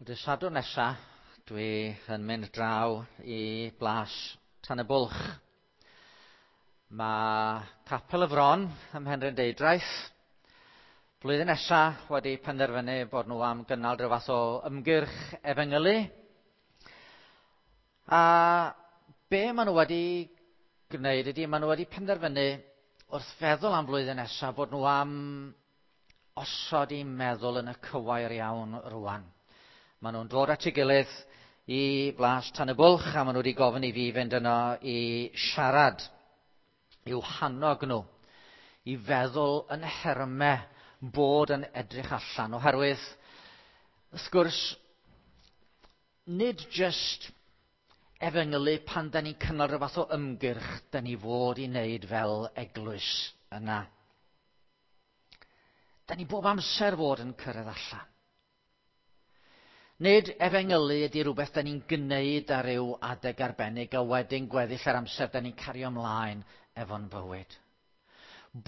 Dydd Sadwrn nesa, dwi yn mynd draw i Blas Tan y Bwlch. Mae Capel y Fron ym Mhenrhyn Deudraeth blwyddyn nesa wedi penderfynu bod nhw am gynnal rhyw fath o ymgyrch efengylu. A be maen nhw wedi gwneud ydy, maen nhw wedi penderfynu wrth feddwl am flwyddyn nesaf bod nhw am osod eu meddwl yn y cywair iawn rwan. Maen nhw'n dod at ei gilydd i Blas Tan y Bwlch a maen nhw wedi gofyn i fi fynd yno i siarad, i'w hannog nhw, i feddwl yn nhermau bod yn edrych allan, oherwydd, wrth gwrs, nid jyst efengylu pan da ni'n cynnal rhyw fath o ymgyrch da ni fod i wneud fel eglwys yna. Da ni bob amser fod yn cyrraedd allan. Nid efengylu ydy rhywbeth da ni'n gwneud ar ryw adeg arbennig a wedyn gweddill yr amser da ni'n cario ymlaen efo'n bywyd.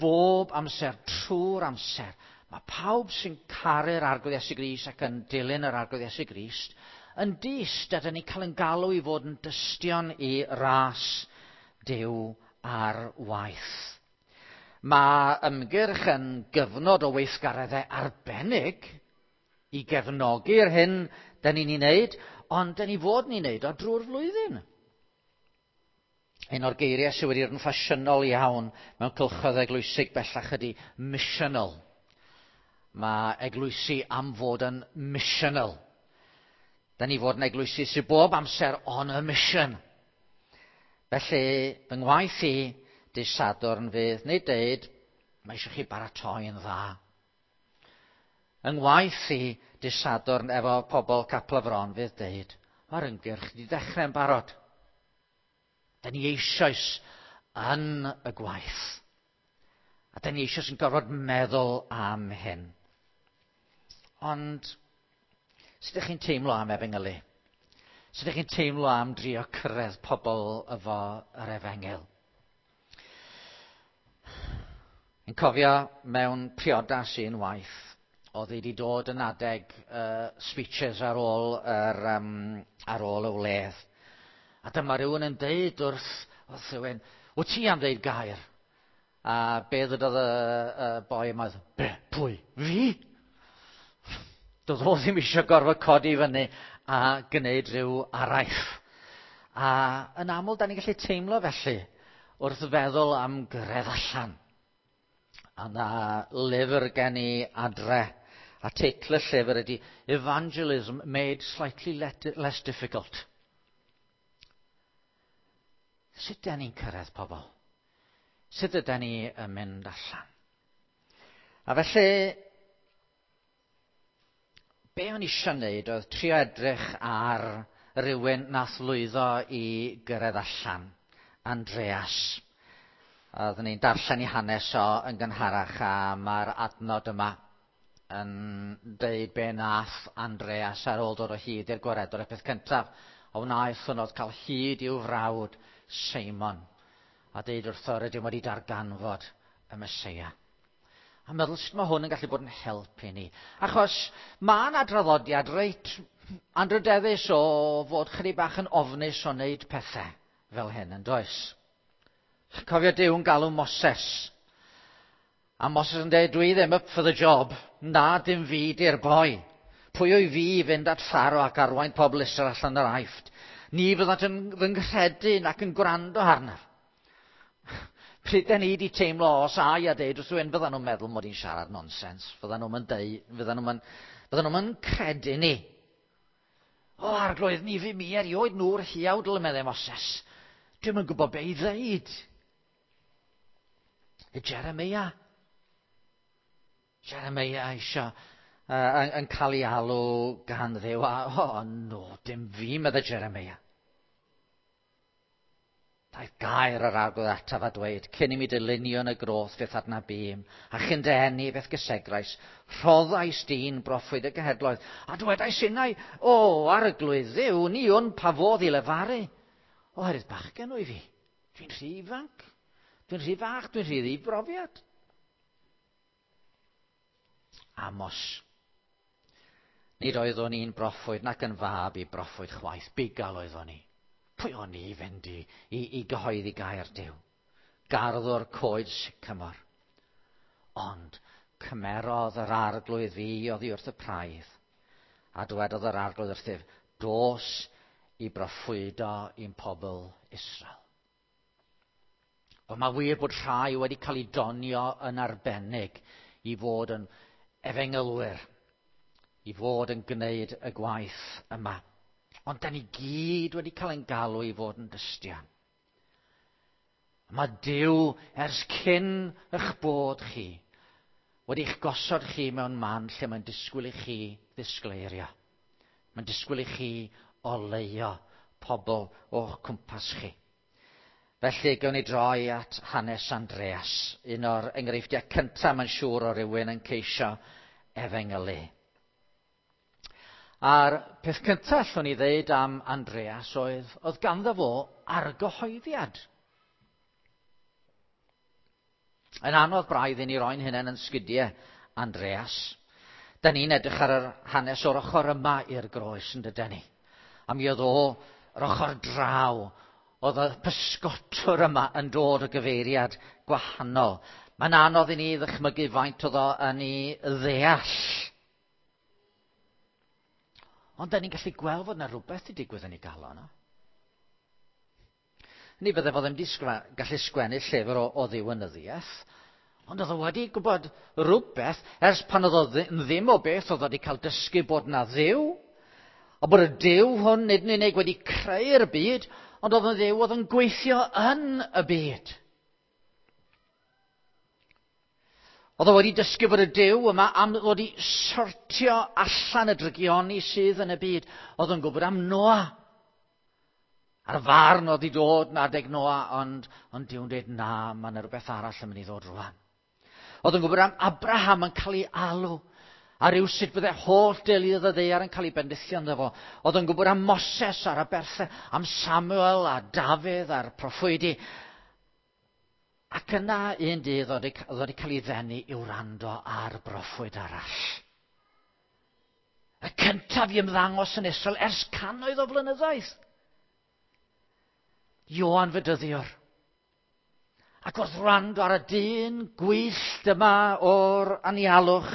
Bob amser, trwy'r amser, mae pawb sy'n caru'r Arglwydd Iesu Grist ac yn dilyn yr Arglwydd Iesu Grist yn dyst a da ni'n cael yn galw i fod yn dystion i ras Duw ar waith. Mae ymgyrch yn gyfnod o weithgareddau arbennig i gefnogi'r hyn da ni'n ei wneud, ond da ni fod yn ei wneud o drwy'r flwyddyn. Un o'r geiriau sydd wedi bod yn ffasiynol iawn mewn cylchoedd eglwysig bellach ydy missional. Mae eglwysi am fod yn missional. Da ni fod yn eglwysi sydd bob amser on a mission. Felly, fy ngwaith i dydd Sadwrn fydd nid deud, mae eisiau chi baratoi yn dda. Yng ngwaith i dydd Sadwrn efo pobl Capel y Fron fydd deud, mae'r ymgyrch wedi dechrau yn barod. Da ni eisoes yn y gwaith. A da ni eisoes yn gorfod meddwl am hyn. Ond, sut ydych chi'n teimlo am efengylu? Sut ydych chi'n teimlo am drio cyrraedd pobl efo yr efengyl? Yn cofio mewn priodas un waith, oedd hi wedi dod yn adeg speeches ar ôl, yr, um, ar ôl y wledd. A dyma rhywun yn deud wrth, wrth rhywun, wyt ti am ddeud gair? A be ddydodd y, y boi yma, be, pwy, fi? Doedd o ddim eisiau gorfod codi fyny a gwneud rhyw araith. A yn aml, da ni'n gallu teimlo felly wrth feddwl am gyrraedd allan. A na lyfr gen i adre, a teitl y llyfr ydy Evangelism Made Slightly Less Difficult. Sut da ni'n cyrraedd pobl? Sut ydyn ni yn mynd allan? A felly, be o'n i eisiau wneud oedd trio edrych ar rywun nath lwyddo i gyrraedd allan, Andreas. Oeddwn ni'n darllen i hanes o yn gynharach a mae'r adnod yma yn deud be nath Andreas ar ôl dod o hyd i'r gwaredwr. Y peth cyntaf a wnaeth hwn oedd cael hyd i'w frawd Seimon a deud wrtho rydym wedi darganfod y Meseia. A meddwl sut mae hwn yn gallu bod yn help i ni. Achos mae yna draddodiad reit anrydeddus o fod chydig bach yn ofnus o wneud pethau fel hyn, yn does? Cofio Duw yn galw Moses. A Moses yn dweud, dwi ddim up for the job. Na, dim fi di'r boi. Pwy o'i fi i fynd at Pharaoh ac arwain pobl Israel allan o'r Aifft? Ni fyddant yn fy nghredu nac yn gwrando arnaf. Pryd da ni wedi teimlo os ai a deud wrth rhywun, fyddan nhw'n meddwl mod i'n siarad nonsens. Fyddan nhw'n deud, fyddan nhw'n fyddan nhw'n credu ni. O, arglwydd, ni fi mi erioed nhw'r hiawdl, meddai Moses. Dwi'm yn gwybod be i ddeud. Y Jeremiah. Jeremiah eisiau yn, yn cael ei alw gan Dduw. A, o, oh, no, dim fi, meddai Jeremiah. Daeth gair yr arglwydd ataf a dweud, cyn i mi dylunio yn y groth fe'th adnabûm, a chyn dy eni fe'th gysegrais, rhoddais di'n broffwyd y genhedloedd, a dwedais innau, o, arglwydd Dduw, ni wn pa fodd i lefaru. Oherwydd bachgen wyf fi. Dwi'n rhy ifanc, dwi'n rhy fach, dwi'n rhy ddibrofiad. Amos. Nid oeddwn i'n broffwyd nac yn fab i broffwyd chwaith. Bugail oeddwn i. Pwy o'n i fynd i, i, i gyhoeddi gair Duw? Garddwr coed sycamor. Ond cymerodd yr arglwydd fi oddi wrth y praidd, a dywedodd yr arglwydd wrthyf, dos i broffwydo i'n pobl Israel. Ond mae wir bod rhai wedi cael eu donio yn arbennig i fod yn efengylwyr, i fod yn gwneud y gwaith yma. Ond da ni gyd wedi cael ein galw i fod yn dystion. Mae Duw ers cyn eich bod chi wedi eich gosod chi mewn man lle mae'n disgwyl i chi ddisgleirio. Mae'n disgwyl i chi oleuo pobl o'ch cwmpas chi. Felly, gawn ni droi at hanes Andreas, un o'r enghreifftiau cyntaf mae'n siŵr o rywun yn ceisio efengylu. A'r peth cyntaf allwn ni ddeud am Andreas oedd, oedd ganddo fo argyhoeddiad. Yn anodd braidd i ni roi'n hunain yn sgidiau Andreas. Da ni'n edrych ar yr hanes o'r ochr yma i'r groes yn dyden ni. A mi oedd o yr ochr draw oedd y pysgotwr yma yn dod o gyfeiriad gwahanol. Mae'n anodd i ni ddychmygu faint oedd o yn ei ddeall. Ond da ni'n gallu gweld fod yna rhywbeth i digwydd yn ei galon o. Ni bydde fo ddim wedi gallu sgwennu llyfr o, o ddiwinyddiaeth, ond oedd o wedi gwybod rhywbeth ers pan oedd o ddim o beth oedd wedi cael dysgu bod na ddiw, a bod y Duw hwn nid yn unig wedi creu'r byd, ond oedd yn ddiw oedd yn gweithio yn y byd. Oedd o wedi dysgu bod y Duw yma am ddod i sortio allan y drygioni sydd yn y byd. Oedd o'n gwybod am Noa. A'r farn oedd i dod yn adeg Noa, ond, ond Duw'n dweud na, mae yna rhywbeth arall yn mynd i ddod rwan. Oedd yn gwybod am Abraham yn cael ei alw, a rhyw sut bydde holl deuluoedd y ddaear yn cael ei bendithio ynddo fo. Oedd yn gwybod am Moses a'r aberthau, am Samuel a Dafydd a'r proffwydi. Ac yna un dydd oedd wedi cael ei ddenu i wrando ar broffwyd arall. Y cyntaf i ymddangos yn Israel ers cannoedd o flynyddoedd. Ioan Fedyddiwr. Ac wrth wrando ar y dyn gwyllt yma o'r anialwch,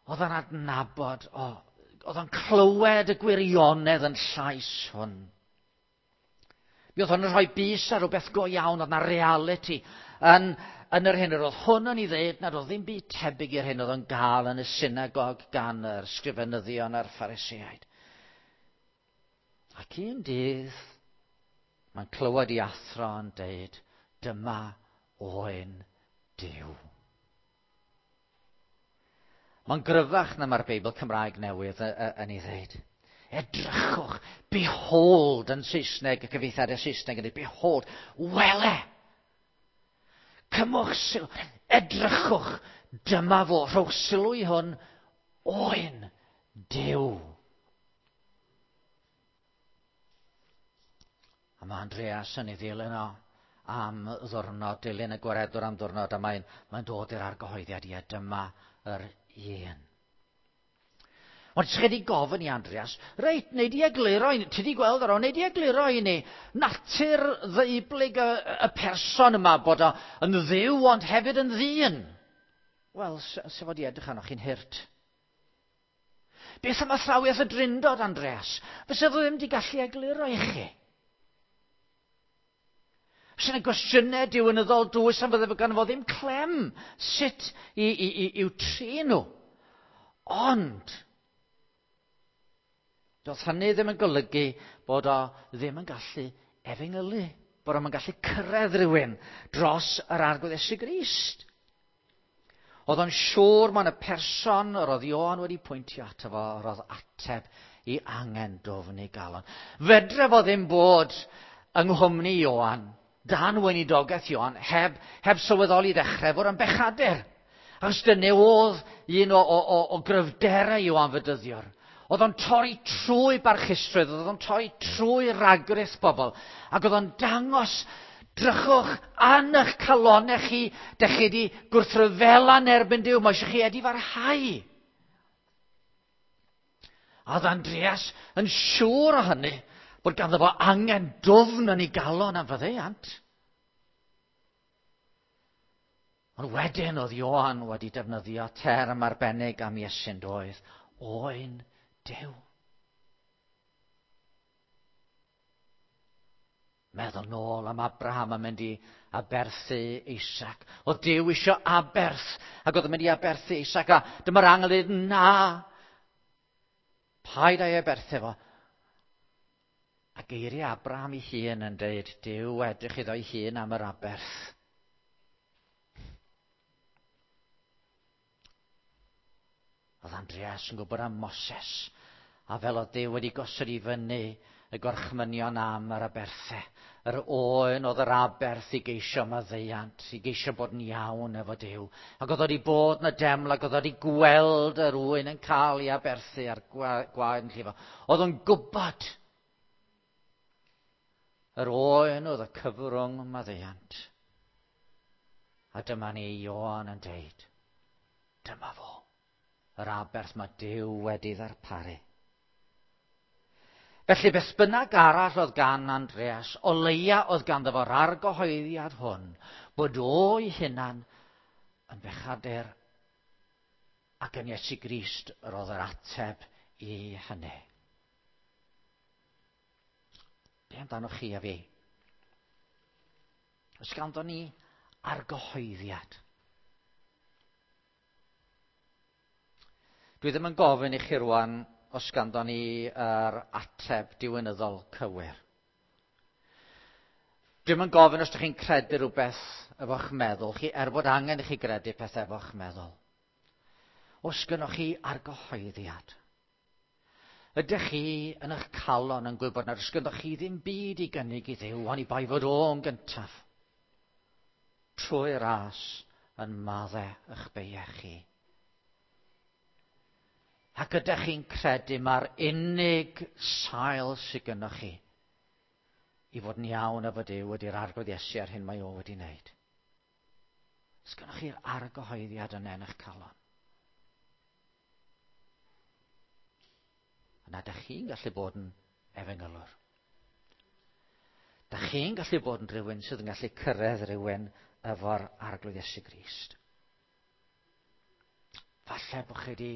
oedd o'n adnabod, o, oedd o'n clywed y gwirionedd yn llais hwn. Mi oedd hwn yn rhoi bys ar rhywbeth go iawn, oedd na reality yn, yn yr hyn yr oedd hwn yn ei ddeud nad oedd ddim byd tebyg i'r hyn oedd yn gael yn y synagog gan yr sgrifenyddion a'r Phariseaid. Ac un dydd, mae'n clywed i athro yn deud, dyma oen Duw. Mae'n gryfach na mae'r Beibl Cymraeg newydd yn ei ddeud. Edrychwch, behold yn Saesneg, y cyfieithiadau Saesneg yn dweud, behold, wele. Cymwch sylw, edrychwch, dyma fo, rhowch sylw i hwn, oen Duw. A mae Andreas yn ei ddilyn o am ddwrnod, dilyn y gwaredwr am ddwrnod, a mae'n mae dod i'r argyhoeddiad, ie, dyma yr un. Ond ti wedi gofyn i Andreas, reit, neu di egluro i ni, ti di gweld ar o, neu di egluro i ni natur ddeublyg y, y person yma bod o yn ddiw ond hefyd yn ddyn. Wel, sef o di edrych arnoch chi'n hurt. Beth am athrawiaeth y drindod, Andreas? Fysa fo ddim wedi gallu egluro i chi. Fysa yna gwestiynau diwynyddol dwys am fydde gan fo ddim clem sut i, i, i, i'w trin nhw. Ond, doedd hynny ddim yn golygu bod o ddim yn gallu efengylu, bod o'n gallu cyrraedd rhywun dros yr Arglwydd Iesu Grist. Oedd o'n siŵr mae'n y person yr oedd Ioan wedi pwyntio ato fo, yr oedd ateb i angen dwfn ei galon. Fedre fo ddim bod yng nghwmni Ioan, dan weinidogaeth Ioan, heb, heb sylweddoli ddechrau fod yn bechadur. Achos dyna oedd un o, o, o, o gryfderau Ioan Fedyddiwr. Oedd o'n torri trwy barchusrwydd, oedd o'n torri trwy ragrith bobl, ac oedd o'n dangos Drychwch yn eich calonau chi, dych chi wedi gwrthryfela yn erbyn Duw, mae eisiau chi edifarhau. A oedd Andreas yn siŵr o hynny bod ganddo fo angen dwfn yn ei galon am faddeuant. Ond wedyn oedd Ioan wedi defnyddio term arbennig am Iesu'n doedd, oen Duw. Meddwl nôl am Abraham yn mynd i aberthu Isaac. Oedd Duw isio aberth, ac oedd yn mynd i aberthu Isaac, a dyma'r angel yn dweud, na, paid â'i aberthu fo. A geiriau Abraham ei hun yn dweud, Duw edrych iddo'i hun am yr aberth. Oedd Andreas yn gwybod am Moses, a fel oedd Duw wedi gosod i fyny y gorchmynion am yr aberthau. Yr oen oedd yr aberth i geisio maddeuant, i geisio bod yn iawn efo Duw. Ac oedd wedi bod yn y deml ac oedd wedi gweld yr oen yn cael ei aberthu a'r gwaed yn llifo. Oedd o'n gwybod yr oen oedd y cyfrwng maddeuant. A dyma ni Ioan yn deud, dyma fo, yr aberth mae Duw wedi ddarparu. Felly beth bynnag arall oedd gan Andreas, o leia oedd ganddo fo'r argyhoeddiad hwn, bod o'i hunan yn bechadur ac yn Iesu Grist yr oedd yr ateb i hynny. Be amdanoch chi a fi? Oes ganddo ni argyhoeddiad? Dwi ddim yn gofyn i chi rwan os ganddo ni yr ateb diwinyddol cywir. Dwi'm yn gofyn os ydych chi'n credu rhywbeth efo'ch meddwl chi, er bod angen i chi gredu peth efo'ch meddwl. Os gynnoch chi argyhoeddiad, ydych chi yn eich calon yn gwybod nad oes gynnoch chi ddim byd i gynnig i Dduw, oni bai fod o'n gyntaf, trwy ras yn madde eich beiau chi. Ac ydych chi'n credu mae'r unig sail sydd gynnoch chi i fod yn iawn efo Duw ydy'r Arglwydd Iesu a'r hyn mae o wedi wneud. Os gynnoch chi'r argyhoeddiad yna yn eich calon. Yna dych chi'n gallu bod yn efengylwr. Dych chi'n gallu bod yn rhywun sydd yn gallu cyrraedd rhywun efo'r Arglwydd Iesu Grist. Falle bod chi wedi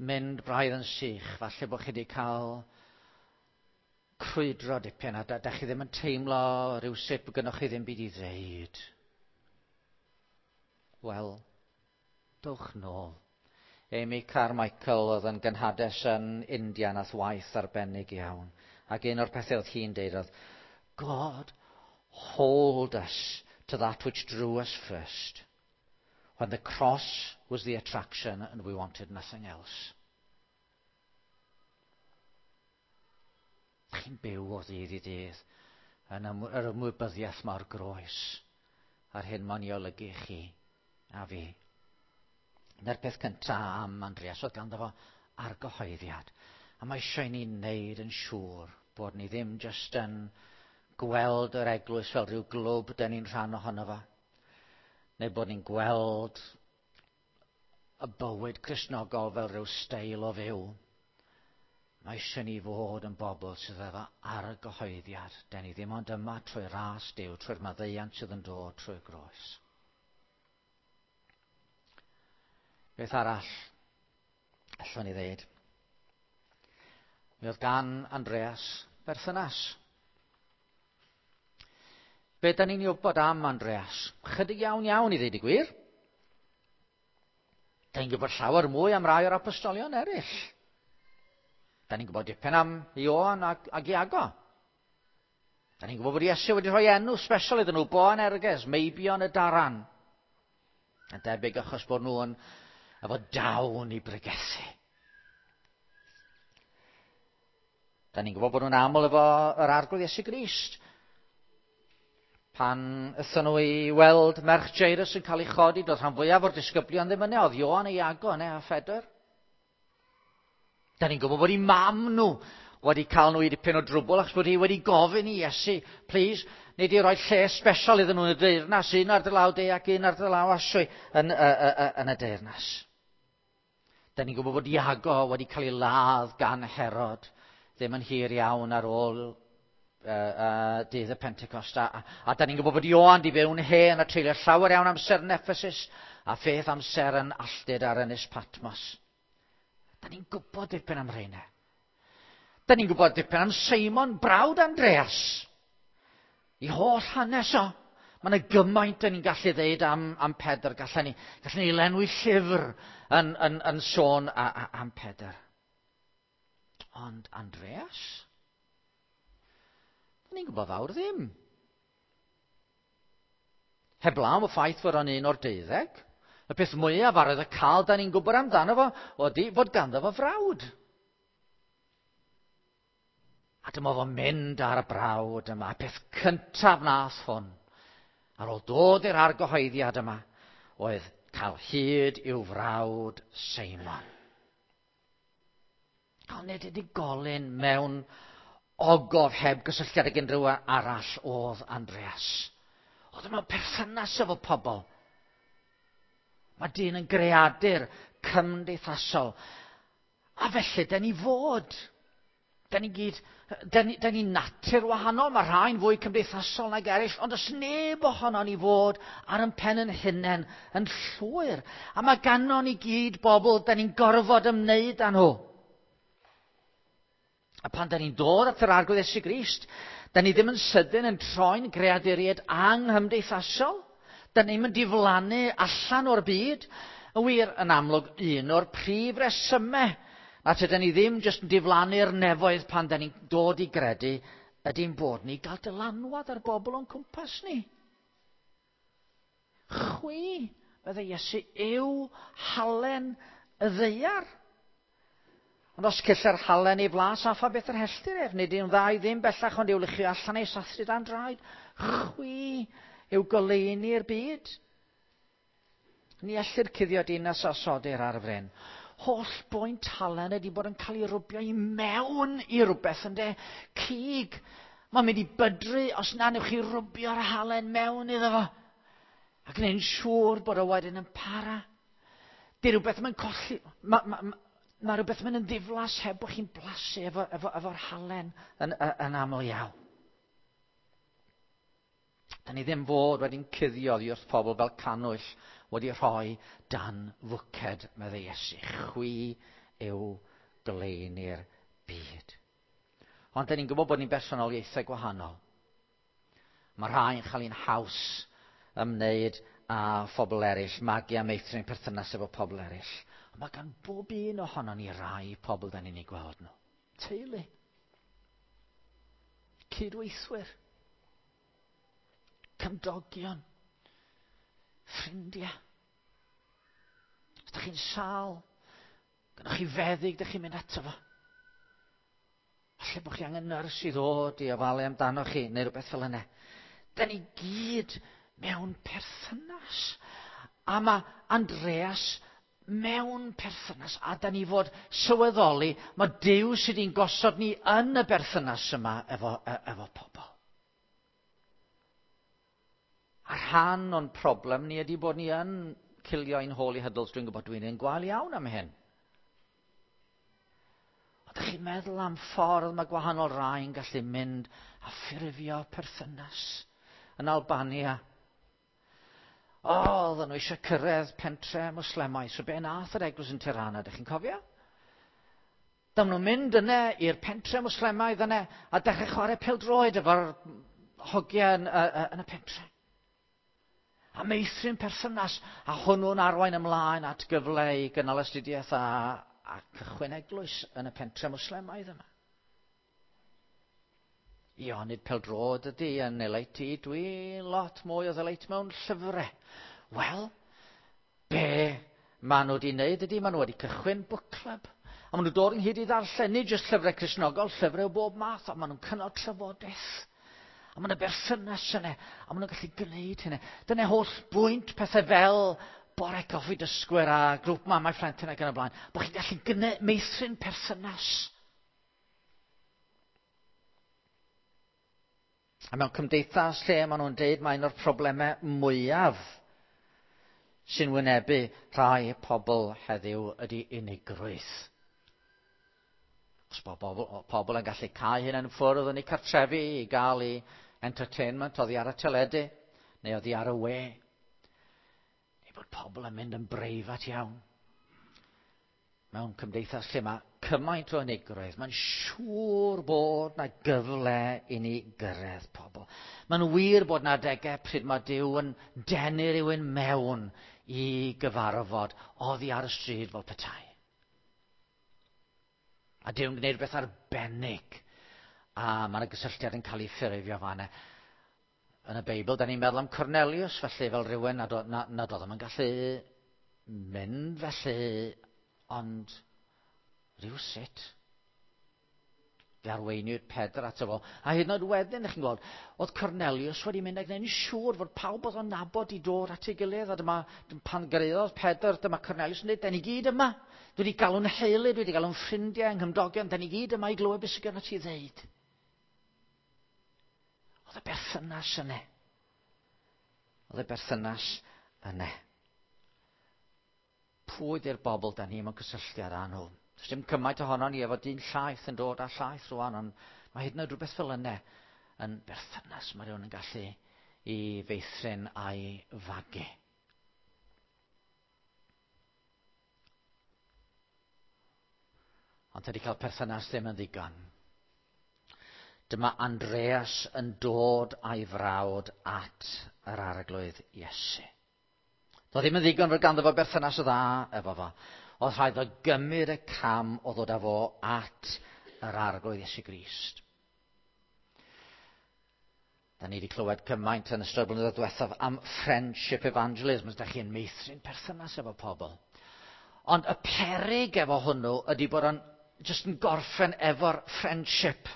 mynd braidd yn sych, falle bod chi wedi cael crwydro dipyn a da chi ddim yn teimlo rhywsut bod gynnwch chi ddim byd i ddeud. Wel, dowch nôl. Amy Carmichael oedd yn gynhades yn India nath waith arbennig iawn. Ac un o'r pethau oedd hi'n deud oedd, God, hold us to that which drew us first. When the cross was the attraction and we wanted nothing else. Chi'n byw o ddydd i ddydd yn yr ymwybyddiaeth mae'r groes a'r hyn mae'n ei olygu chi a fi. Dyna'r peth cyntaf am Andreas oedd ganddo fo argyhoeddiad. A mae eisiau i ni wneud yn siŵr bod ni ddim jyst yn gweld yr eglwys fel rhyw glwb dyn ni'n rhan ohono fo. Neu bod ni'n gweld y bywyd Cristnogol fel rhyw steil o fyw. Mae eisiau ni fod yn bobl sydd efo argyhoeddiad. Den ni ddim ond yma trwy ras Duw, trwy'r maddeuant sydd yn dod trwy'r groes. Beth arall allwn ni ddeud? Mi oedd gan Andreas berthynas. Be da ni'n ei wybod am Andreas? Chydig iawn iawn i ddeud y gwir. Da ni'n gwybod llawer mwy am rai o'r apostolion eraill. Da ni'n gwybod dipyn am Ioan ac Iago. Da ni'n gwybod bod Iesu wedi rhoi enw special iddyn nhw, Boanerges, Meibion y Daran. Yn debyg achos bod nhw yn efo dawn i bregethu. Da ni'n gwybod bod nhw'n aml efo yr Arglwydd Iesu Grist. Pan aethon nhw i weld merch Jairus yn cael ei chodi, doedd rhan fwyaf o'r disgyblion ddim yna, oedd Ioan a Iago yna a Phedr. Da ni'n gwybod bod eu mam nhw wedi cael nhw i dipyn o drwbl achos bod hi wedi gofyn i Iesu, please, nei di roi lle special iddyn nhw yn y deyrnas, un ar dy law de ac un ar dy law aswy yn y deyrnas. Da ni'n gwybod bod Iago wedi cael ei ladd gan Herod ddim yn hir iawn ar ôl dydd y Pentecost. A da ni'n gwybod bod Ioan di fyw'n hen a treulio llawer iawn amser yn Ephesus a pheth amser yn alltud ar Ynys Patmos. Da ni'n gwybod dipyn am rheina. Da ni'n gwybod dipyn am Seimon, brawd Andreas. I holl hanes o. Mae yna gymaint da ni'n gallu ddeud am Pedr. Gallen ni lenwi llyfr yn sôn am Pedr. Ond Andreas? Da ni'n gwybod fawr ddim. Heblaw am y ffaith fod o'n un o'r 12. Y peth mwyaf ar y cael da ni'n gwybod amdano fo ydy fod ganddo fo frawd. A dyma fo'n mynd ar y brawd yma. Peth cyntaf nath hwn, ar ôl dod i'r argyhoeddiad yma, oedd cael hyd i'w frawd Seimon. Ond nid unigolyn mewn ogof heb gysylltiad ag unrhyw arall oedd Andreas. Oedd mewn perthynas efo pobl. Mae dyn yn greadur cymdeithasol. A felly, da ni fod. Da ni gyd, da ni natur wahanol, mae rhai'n fwy cymdeithasol nag eraill, ond oes neb ohono ni fod ar ein pen yn hunain yn llwyr. A mae ganon ni gyd bobl, da ni'n gorfod ymwneud â nhw. A pan da ni'n dod at yr Arglwydd Iesu Grist, da ni ddim yn sydyn yn troi'n greaduriaid anghymdeithasol. Da ni'n mynd diflannu allan o'r byd. Yn wir, yn amlwg, un o'r prif resymau a tyda ni ddim jyst yn diflannu'r nefoedd pan da ni'n dod i gredu ydy'n bod ni gael dylanwad ar bobl o'n cwmpas ni. Chwi, meddai Iesu, yw halen y ddaear. Ond os cylla'r halen ei flas a pha beth yr helltir ef, nid yw'n dda i ddim bellach ond i'w luchio allan ei sathru dan draed. Chwi yw goleuni'r byd. Ni ellir cuddio dinas a sodir ar y fryn. Holl bwynt halen ydy bod yn cael ei rwbio i mewn i rhywbeth, ynde? Cig. Mae'n mynd i bydru os na newch chi rwbio'r halen mewn iddo fo. A gwneud yn siŵr bod o wedyn yn para. Di rhywbeth mae'n colli. Mae rhywbeth mynd yn ddiflas heb bod chi'n blasu efo'r halen yn aml iawn. Da ni ddim fod wedi'n cuddio oddi wrth pobl fel cannwyll wedi rhoi dan fwced, meddai Iesu. Chwi yw goleuni'r byd. Ond da ni'n gwybod bod ni'n bersonoliaethau gwahanol. Mae rhai yn cael ein haws ymwneud â phobl eraill, magu a meithrin perthynas efo pobl eraill. Ond mae gan bob un ohonon ni rai pobl da ni'n eu gweld nhw. Teulu. Cydweithwyr. Cymdogion. Ffrindiau. Os ydych chi'n sâl, gynnwch chi feddyg, ydych chi'n mynd ato fo. Falle bod chi angen nyrs i ddod i ofalu amdano chi, neu rhywbeth fel yna. Da ni gyd mewn perthynas. A mae Andreas mewn perthynas, a da ni fod sylweddoli, mae Duw sydd wedi'n gosod ni yn y berthynas yma efo pobl. A rhan o'n problem ni ydy bod ni yn cilio ein holy huddles. Dwi'n gwybod dwi'n un gwael iawn am hyn. Ond ydych chi'n meddwl am ffordd mae gwahanol rai yn gallu mynd a ffurfio perthynas yn Albania. O, oedden nhw eisiau cyrraedd pentre Mwslemau. So be nath yr eglwys yn Tirana, ydych chi'n cofio? Dyma nhw'n mynd yna i'r pentre Mwslemaidd yna a dechrau chwarae pêl-droed efo'r hogiau yn y pentre. A meithrin perthynas, a hwnnw'n arwain ymlaen at gyfle i gynnal astudiaeth a cychwyn eglwys yn y pentre Mwslemaidd yma. Ia, nid pêl-droed ydy yn eleit i, dwi lot mwy o ddeleit mewn llyfrau. Wel, be maen nhw wedi wneud ydy, maen nhw wedi cychwyn book club. A maen nhw dod ynghyd i ddarllen, nid jyst llyfrau Cristnogol, llyfrau o bob math, a maen nhw'n cynnal trafodaeth. A maen nhw'n berthynas yna, a maen nhw'n gallu gwneud hynny. Dyna holl bwynt pethau fel bore coffi dysgwyr a grŵp mamau plentyn ac yn y blaen. Bod chi'n gallu meithrin perthynas. A mewn cymdeithas lle maen nhw'n deud mae un o'r problemau mwyaf sy'n wynebu rhai pobl heddiw ydy unigrwydd. Os bod bobl, pobl yn gallu cau hyn yn ffwrdd yn eu cartrefi i gael eu entertainment oddi ar y teledu neu oddi ar y we. Neu bod pobl yn mynd yn breifat iawn. Mewn cymdeithas lle mae cymaint o unigrwydd, mae'n siŵr bod na gyfle i ni gyrraedd pobl. Mae'n wir bod na adegau pryd mae Duw yn denu rhywun mewn i gyfarfod oddi ar y stryd fel petai. A Duw'n gwneud rhywbeth arbennig. A mae yna gysylltiad yn cael ei ffurfio fanna. Yn y Beibl, da ni'n meddwl am Cornelius, felly, fel rhywun nad, nad, nad oedd yn gallu mynd felly, ond rhywsut, fe arweiniwyd Pedr ato fo. A hyd yn oed wedyn, ych chi'n gweld, oedd Cornelius wedi mynd a gwneud yn siŵr fod pawb oedd o'n nabod i dod at ei gilydd. A dyma, pan gyrhaeddodd Pedr, dyma Cornelius yn dweud, da ni gyd yma. Dwi wedi galw'n heulu, dwi wedi galw'n ffrindiau, nghymdogion, da ni gyd yma i glywed beth sydd gen ti ddeud. Oedd y berthynas yna. Oedd y berthynas yna. Pwy ydy'r bobl da ni mewn cysylltiad â nhw? Does dim cymaint ohono ni efo dyn llaeth yn dod â llaeth rwan, ond mae hyd yn oed rhywbeth fel yna yn berthynas mae rhywun yn gallu i feithrin a'i fagu. Ond tydi cael perthynas ddim yn ddigon. Dyma Andreas yn dod a'i frawd at yr arglwydd Iesu. Doedd ddim yn ddigon fod ganddo fo berthynas dda efo fo. Oedd rhaid fo gymryd y cam o ddod â fo at yr arglwydd Iesu Grist. Da ni wedi clywed cymaint yn ystod blynyddoedd diwethaf am friendship evangelism, os da chi'n meithrin perthynas efo pobl. Ond y peryg efo hwnnw ydy bod o'n jyst yn gorffen efo'r friendship.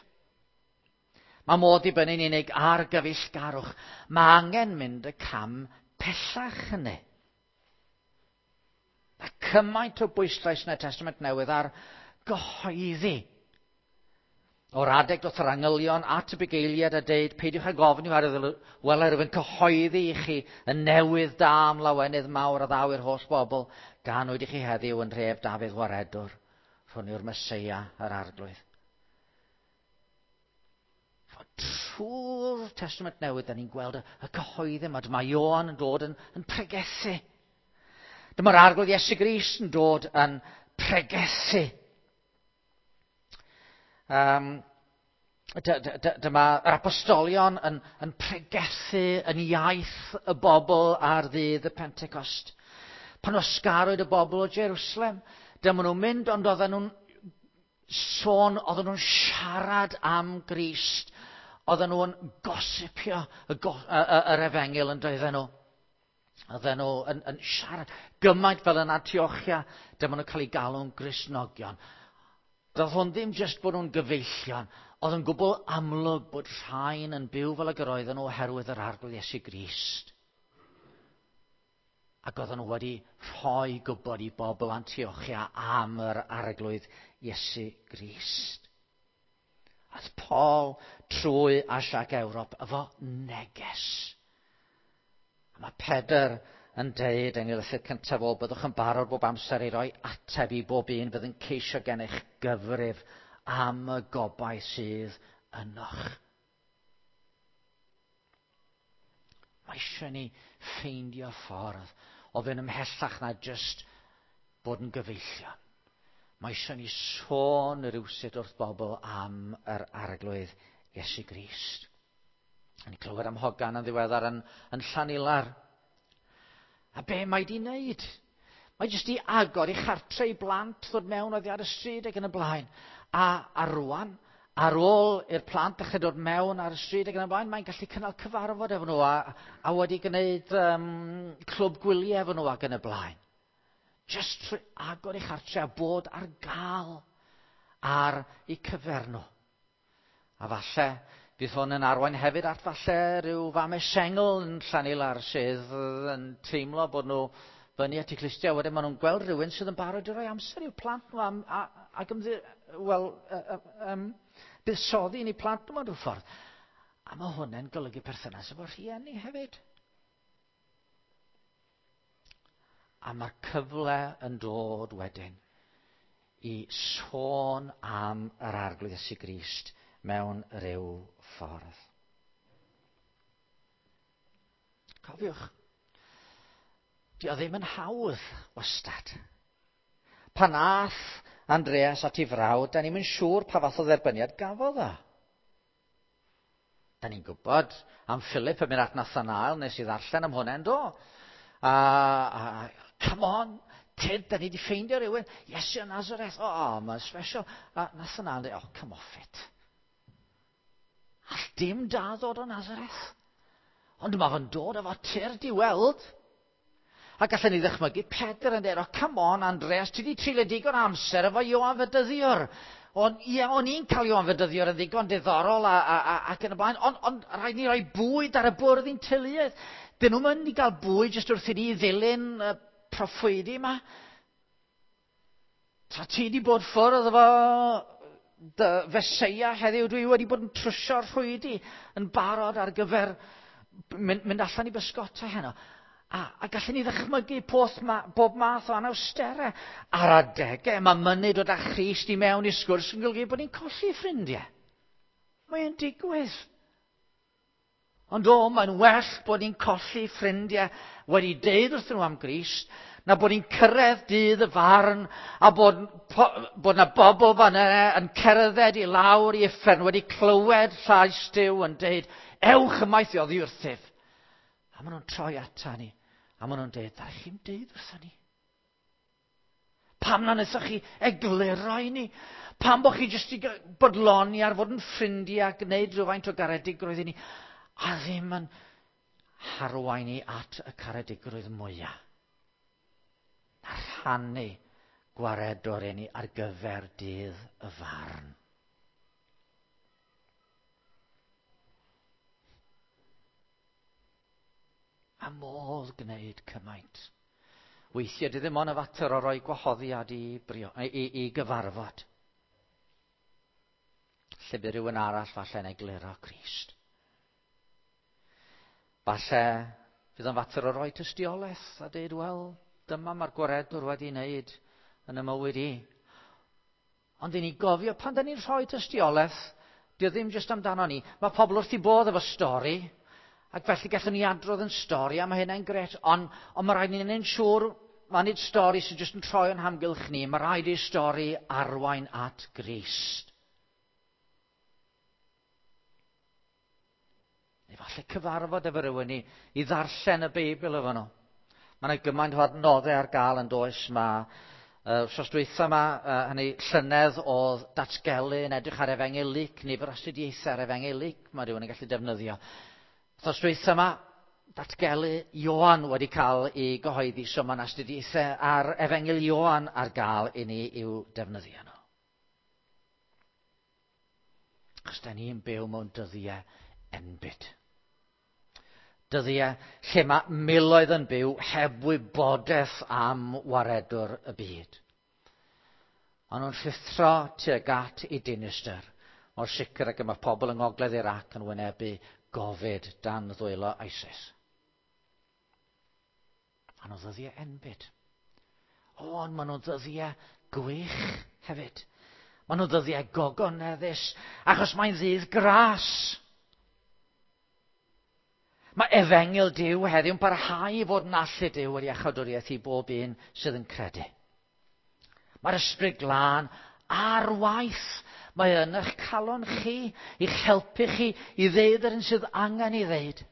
Mae modd dibynnu'n unig ar gyfeillgarwch. Mae angen mynd y cam pellach hynny. Mae cymaint o bwyslais yn y Testament Newydd ar gyhoeddi. O'r adeg doth yr angylion at y bugeiliad a deud, peidiwch ag ofni oherwydd wele rwyf yn cyhoeddi i chi y newydd da am lawenydd mawr a ddaw i'r holl bobl, ganwyd i chi heddiw yn nhref Dafydd Waredwr, rhwn yw'r Meseia, yr Arglwydd. Trwy'r Testament Newydd, da ni'n gweld y, y cyhoeddi yma. Dyma Ioan yn dod yn, yn pregethu. Dyma'r Arglwydd Iesu Grist yn dod yn pregethu. Um, dyma yr apostolion yn, yn pregethu yn iaith y bobl ar ddydd y Pentecost. Pan osgarwyd y bobl o Jerusalem, dyma nhw'n mynd, ond oedden nhw'n sôn, oedden nhw'n siarad am Grist, oedden nhw'n gosipio y, go, y, y, yr efengyl yn doedden nhw. Oedden nhw yn, yn siarad gymaint fel yn Antiochia, dyma nhw'n cael eu galw'n Gristnogion. Doedd hwn ddim jyst bod nhw'n gyfeillion, oedd yn gwbl amlwg bod rhain yn byw fel y gyroedden nhw oherwydd yr Arglwydd Iesu Grist. Ac oedden nhw wedi rhoi gwybod i bobl Antiochia am yr arglwydd Iesu Grist. Aeth Paul trwy Asia ac Ewrop efo neges. A mae Pedr yn deud yn ei lythyr cyntaf o, byddwch yn barod bob amser i roi ateb i bob un fydd yn ceisio gennych gyfrif am y gobaith sydd ynoch. Mae eisiau ni ffeindio ffordd o fynd ymhellach na jyst bod yn gyfeillion. Mae eisiau ni sôn rhywsut wrth bobl am yr arglwydd Iesu Grist. Yn clywed am hogan yn ddiweddar yn, yn Llanilar. A be mae di wneud? Mae jyst i agor i chartre i blant ddod mewn oddi ar y stryd ac yn y blaen. A, a rwan, ar ôl i'r plant ddechrau dod mewn ar y stryd ac yn y blaen, mae'n gallu cynnal cyfarfod efo nhw a, a wedi gwneud um, clwb gwyliau efo nhw ac yn y blaen. Just trwy agor ei chartre a bod ar gael ar eu cyfer nhw. A falle bydd hwn yn arwain hefyd at falle rhyw fam sengl yn Llanilar sydd yn teimlo bod nhw fyny at eu clustiau. Wedyn maen nhw'n gweld rhywun sydd yn barod i roi amser i'w plant nhw am, a, ac ymddi, wel, um, buddsoddi yn eu plant nhw mewn rhyw ffordd. A mae hwnna'n golygu perthynas efo rhieni hefyd. A mae'r cyfle yn dod wedyn i sôn am yr Arglwydd Iesu Grist mewn rhyw ffordd. Cofiwch, di o ddim yn hawdd wastad. Pan ath Andreas at ei frawd, da ni'm yn siŵr pa fath o dderbyniad gafodd o. Da ni'n gwybod am Philip yn mynd at Nathanael, nes i ddarllen am hwnna yn do. A come on, Tyd, da ni wedi ffeindio rhywun, Iesu o Nazareth, o, oh, mae'n special. A Nathanael yn dweud, oh, come off it. All dim da ddod o Nazareth. Ond mae fe'n dod efo tyrd i weld. A gallen ni ddychmygu Pedr yn dweud, oh, come on, Andreas, ti wedi treulio digon amser efo Ioan Fedyddiwr. O'n, ie, o'n i'n cael Ioan Fedyddiwr yn ddigon diddorol ac yn y blaen, ond rhaid ni roi bwyd ar y bwrdd i'n teuluoedd. Dyn nhw'n mynd i gael bwyd jyst wrth i ni ddilyn y proffwydi yma. Ta ti wedi bod ffwrdd efo dy Feseia heddiw, dwi wedi bod yn trwsio'r rhwydi yn barod ar gyfer mynd allan i bysgota heno. A gallen ni ddychmygu bob math o anawsterau. Ar adegau, mae mynnu dod â Christ i mewn i sgwrs yn golygu bod ni'n colli ffrindiau. Mae'n digwydd. Ond o, mae'n well bod ni'n colli ffrindiau wedi deud wrthyn nhw am Grist, na bod ni'n cyrraedd dydd y farn a bod na bobl fan yna yn cerdded i lawr i uffern wedi clywed llais Duw yn deud, ewch ymaith i oddi wrthyf. A maen nhw'n troi ata ni, a maen nhw'n deud, ddaru chi'm deud wrthon ni. Pam na wnaethoch chi egluro i ni? Pam bod chi jyst i bodloni ar fod yn ffrindiau a gwneud rhywfaint o garedigrwydd i ni, a ddim yn harwain ni at y caredigrwydd mwyaf? A rhannu gwaredwr i ni ar gyfer dydd y farn. A modd gwneud cymaint. Weithiau di ddim ond y fater o roi gwahoddiad i gyfarfod. Lle bydd rhywun arall falle'n egluro Crist. Falle fydd o'n fater o roi tystiolaeth a dweud, wel, dyma mae'r gwaredwr wedi wneud yn y mywyd i. Ond i ni gofio, pan da ni'n rhoi tystiolaeth, dio ddim jyst amdano ni. Mae pobl wrth i bodd efo stori, ac felly gallwn ni adrodd yn stori, a mae hynna'n gret, ond mae rhaid ni'n neud siŵr, mae nid stori sy'n jyst yn troi o'n hamgylch ni, mae rhaid i'r stori arwain at Grist. Neu falle cyfarfod efo rhywun i ddarllen y Beibl efo nhw. Mae yna gymaint o adnoddau ar gael yn does. Mae wsos dwytha yma, hynny llynedd oedd datgelu yn edrych ar Efengyl Luc, nifer astudiaethau ar Efengyl Luc mae rhywun yn gallu defnyddio. Wsos dwytha yma, datgelu Ioan wedi cael ei gyhoeddi, so mae'n astudiaethau ar Efengyl Ioan ar gael i ni i'w defnyddio nhw. Achos da ni'n byw mewn dyddiau enbyd. Dyddiau lle mae miloedd yn byw heb wybodaeth am waredwr y byd. Ond nhw'n rhuthro tuag at i dinistr, mor sicr ag y mae pobl yng Ngogledd Iraq yn wynebu gofid dan ddwylo ISIS. A nhw ddyddiau enbyd. O, ond maen nhw'n ddyddiau gwych hefyd. Maen nhw'n ddyddiau gogoneddus, achos mae'n ddydd gras. Mae efengyl Duw heddiw'n parhau i fod yn allu Duw yr iachawdwriaeth i bob un sydd yn credu. Mae'r Ysbryd Glân ar waith. Mae yn eich calon chi, i'ch helpu chi i ddeud yr un sydd angen i ddeud.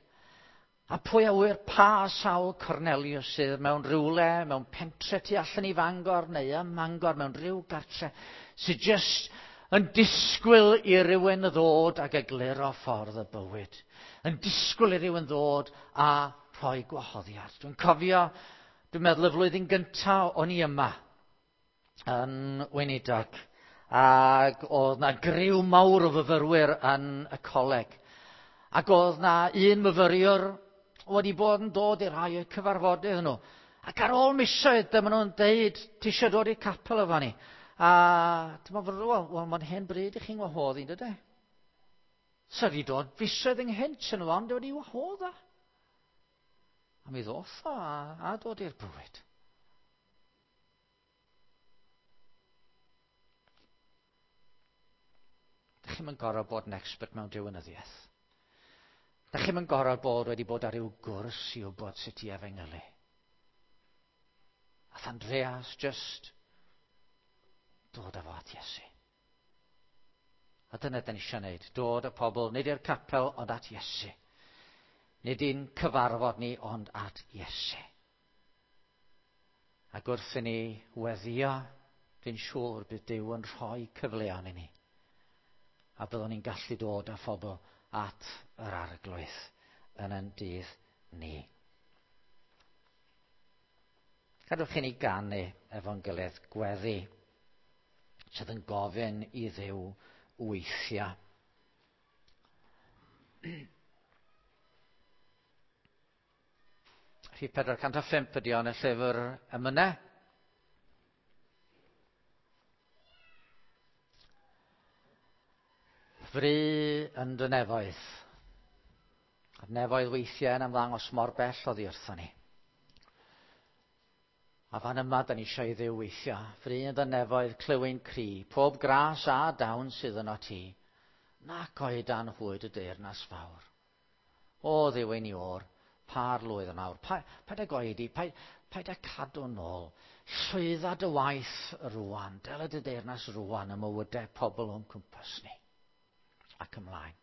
A pwy a ŵyr pa sawl Cornelius sydd mewn rhywle, mewn pentre tu allan i Fangor neu ym Mangor, mewn rhyw gartre, sydd jyst yn disgwyl i rywun ddod ag egluro ffordd y bywyd. Yn disgwyl i rywun ddod a rhoi gwahoddiad. Dwi'n cofio, dwi'n meddwl y flwyddyn gyntaf o'n i yma yn weinidog, ac oedd na griw mawr o fyfyrwyr yn y coleg. Ac oedd na un myfyriwr wedi bod yn dod i rai o'r cyfarfodydd nhw. Ac ar ôl misoedd, dyma nhw'n deud, ti eisiau dod i'r capel efo ni? A dyma fod, wel, mae'n hen bryd i chi'n wahodd i'n dydy. So wedi dod fisoedd ynghynt yn nhw, ond wedi wahodd o. A mi ddoth o a dod i'r bywyd. Da chi'm yn gorfod bod yn expert mewn diwinyddiaeth. Da chi'm yn gorfod bod wedi bod ar ryw gwrs i wybod sut i efengylu. Ath Andreas just dod â fo at Iesu. A dyna da ni eisiau gwneud. Dod â pobl, nid i'r capel, ond at Iesu. Nid i'n cyfarfod ni, ond at Iesu. Ac wrth i ni weddio, dwi'n siŵr bydd Duw yn rhoi cyfleon i ni. A byddwn ni'n gallu dod â phobl at yr arglwydd yn ein dydd ni. Gadwch i ni ganu efo'n gilydd gweddi sydd yn gofyn i Dduw weithio. Rhif 405 ydi o yn y llyfr emynau. Fry yn dy nefoedd. A'r nefoedd weithiau yn ymddangos mor bell oddi wrthon ni. A fan yma, da ni eisiau i Dduw weithio. Fry yn dy nefoedd, clywyn cri, pob gras a dawn sydd yno ti, nac oed dan hwyd y deyrnas fawr. O Dduw ein Iôr, pa'r lwydd yn awr. Pa, paid ag oedi, paid, paid â cadw nôl. Llwydda dy waith rwan, dela dy deyrnas rwan ym mywydau pobl o'n cwmpas ni. Ac ymlaen.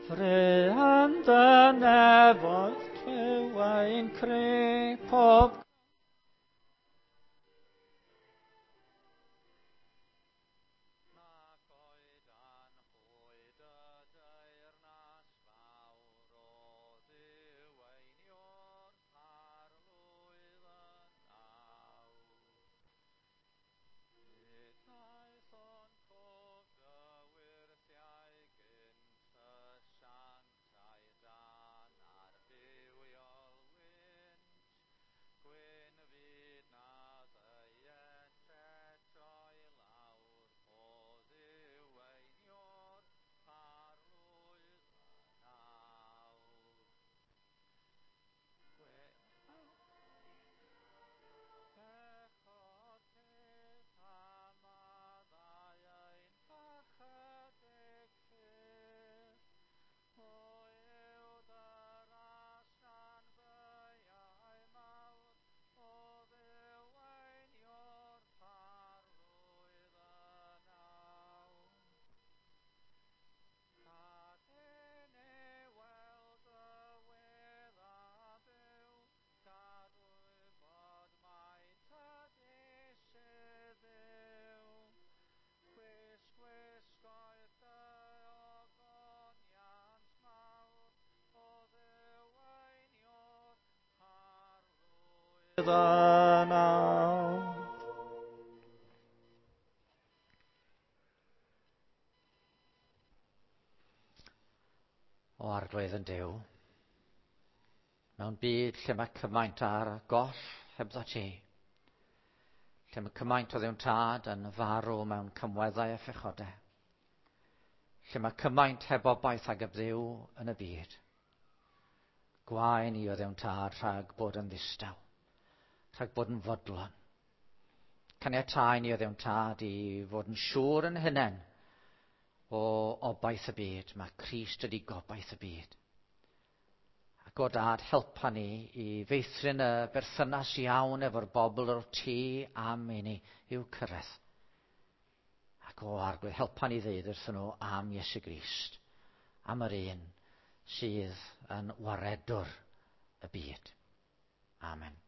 Fry yn dy nefoedd clywai'n cri pob O Arglwydd yn Duw, mewn byd lle mae cymaint ar goll hebddo ti, lle mae cymaint o ddiwn tad yn farw mewn cymweddau a phechodau, lle mae cymaint heb obaith ag heb Dduw yn y byd, gwae ni o ddiwn tad rhag bod yn ddistaw, rhag bod yn fodlon. Caniatáu ni o ddiwn tad i fod yn siŵr yn hunain o obaith y byd. Mae Crist ydi gobaith y byd. Ac o dad, helpa ni i feithrin y berthynas iawn efo'r bobl o'r ti am i ni i'w cyrraedd. Ac o Arglwydd, helpa ni ddeud wrthyn nhw am Iesu Grist, am yr un sydd yn waredwr y byd. Amen.